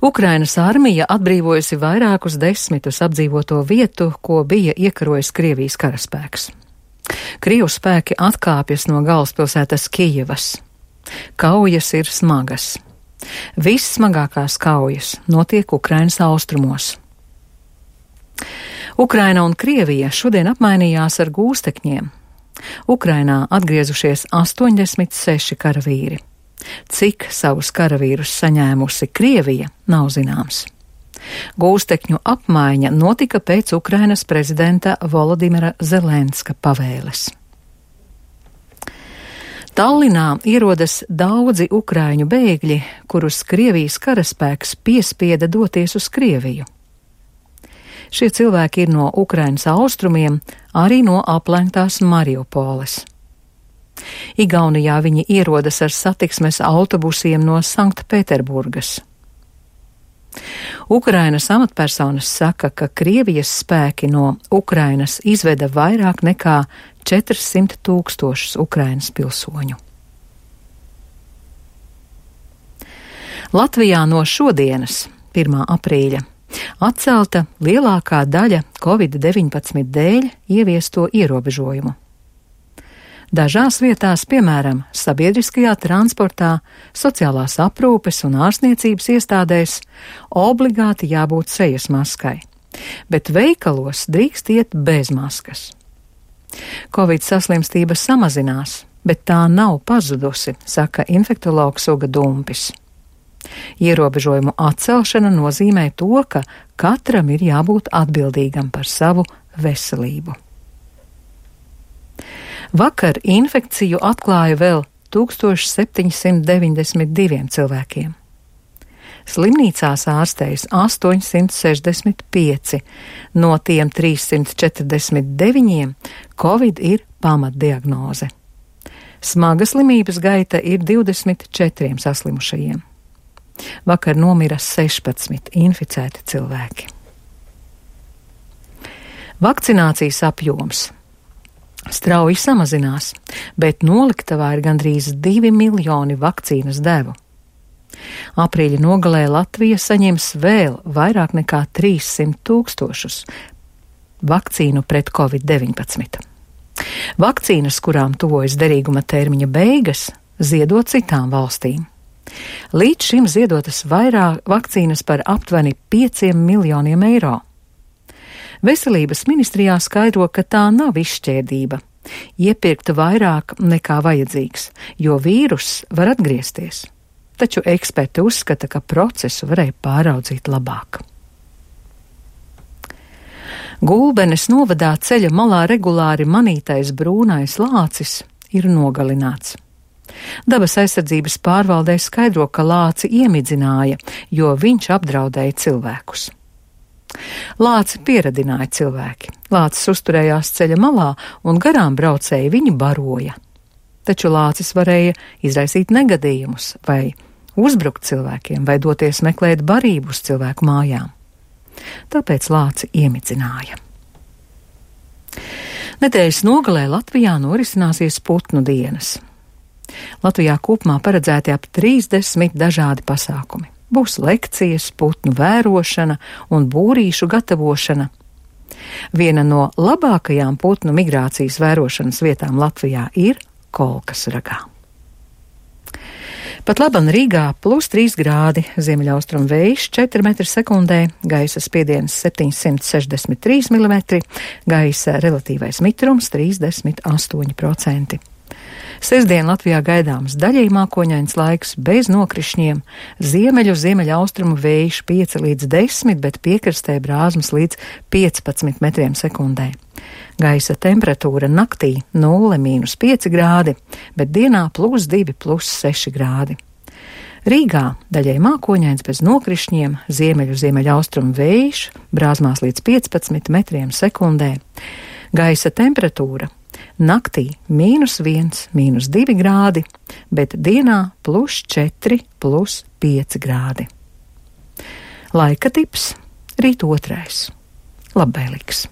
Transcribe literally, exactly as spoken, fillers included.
Ukrainas armija atbrīvojusi vairākus desmitus apdzīvoto vietu, ko bija iekarojis Krievijas karaspēks. Krievu spēki atkāpjas no galvaspilsētas Kijevas. Kaujas ir smagas. Vissmagākās kaujas notiek Ukrainas austrumos. Ukraina un Krievija šodien apmainījās ar gūstekņiem. Ukrainā atgriezušies astoņdesmit seši karavīri. Cik savus karavīrus saņēmusi Krievija, nav zināms. Gūstekņu apmaiņa notika pēc Ukrainas prezidenta Volodimira Zelenska pavēles. Tallinā ierodas daudzi ukraiņu bēgļi, kurus Krievijas karaspēks piespieda doties uz Krieviju. Šie cilvēki ir no Ukrainas austrumiem, arī no aplenktās Mariupoles. Igaunijā viņi ierodas ar satiksmes autobusiem no Sanktpēterburgas. Ukrainas amatpersonas saka, ka Krievijas spēki no Ukrainas izveda vairāk nekā četrsimt tūkstošus Ukrainas pilsoņu. Latvijā no šodienas, pirmā aprīļa, atcelta lielākā daļa covid deviņpadsmit dēļ ieviesto ierobežojumu. Dažās vietās, piemēram, sabiedriskajā transportā, sociālās aprūpes un ārstniecības iestādēs, obligāti jābūt sejas maskai, bet veikalos drīkst iet bez maskas. Covid saslimstība samazinās, bet tā nav pazudusi, saka infektologs Uga Dumpis. Ierobežojumu atcelšana nozīmē to, ka katram ir jābūt atbildīgam par savu veselību. Vakar infekciju atklāja vēl tūkstoš septiņi simti deviņdesmit divi cilvēkiem. Slimnīcās ārstējas astoņsimt sešdesmit pieci, no tiem trīssimt četrdesmit deviņiem Covid ir pamatdiagnoze. Smaga slimības gaita ir divdesmit četriem saslimušajiem. Vakar nomira sešpadsmit inficēti cilvēki. Vakcinācijas apjoms strauji samazinās, bet noliktavā ir gandrīz divi miljoni vakcīnas devu. Aprīļa nogalē Latvija saņems vēl vairāk nekā trīssimt tūkstošus vakcīnu pret covid deviņpadsmit. Vakcīnas, kurām tuvojas derīguma termiņa beigas, ziedo citām valstīm. Līdz šim ziedotas vairāk vakcīnas par aptuveni pieciem miljoniem eiro. Veselības ministrijā skaidro, ka tā nav izšķērdība, iepirkt vairāk nekā vajadzīgs, jo vīruss var atgriezties. Taču eksperti uzskata, ka procesu varēja pāraudzīt labāk. Gulbenes novadā ceļa malā regulāri manītais brūnais lācis ir nogalināts. Dabas aizsardzības pārvaldē skaidro, ka lāci iemidzināja, jo viņš apdraudēja cilvēkus. Lāci pieradināja cilvēki. Lācis uzturējās ceļa malā un garām braucēji viņu baroja. Taču lācis varēja izraisīt negadījumus vai uzbrukt cilvēkiem vai doties meklēt barību uz cilvēku mājām. Tāpēc lāci iemidzināja. Nedēļas nogalē Latvijā norisināsies putnu dienas. Latvijā kopumā paredzēti ap trīsdesmit dažādi pasākumi. Būs lekcijas, putnu vērošana un būrīšu gatavošana. Viena no labākajām putnu migrācijas vērošanas vietām Latvijā ir Kolkasragā. Pat laban Rīgā plus trīs grādi, ziemeļaustrum vējš četri metri sekundē, gaisa spiediens septiņsimt sešdesmit trīs milimetri, gaisa relatīvais mitrums trīsdesmit astoņi procenti. Sestdien Latvijā gaidāms daļēji mākoņains laiks bez nokrišņiem, ziemeļu ziemeļaustrumu vējš pieci līdz desmit, bet piekrastē brāzmas līdz piecpadsmit metriem sekundē. Gaisa temperatūra naktī nulle mīnus pieci grādi, bet dienā plus divi plus seši grādi. Rīgā daļēji mākoņains bez nokrišņiem, ziemeļu ziemeļaustrumu vējš, brāzmās līdz piecpadsmit metriem sekundē. Gaisa temperatūra naktī mīnus viens, mīnus divi grādi, bet dienā plus četri, plus pieci grādi. Laika tips rīt otrais. Labvēlīgs!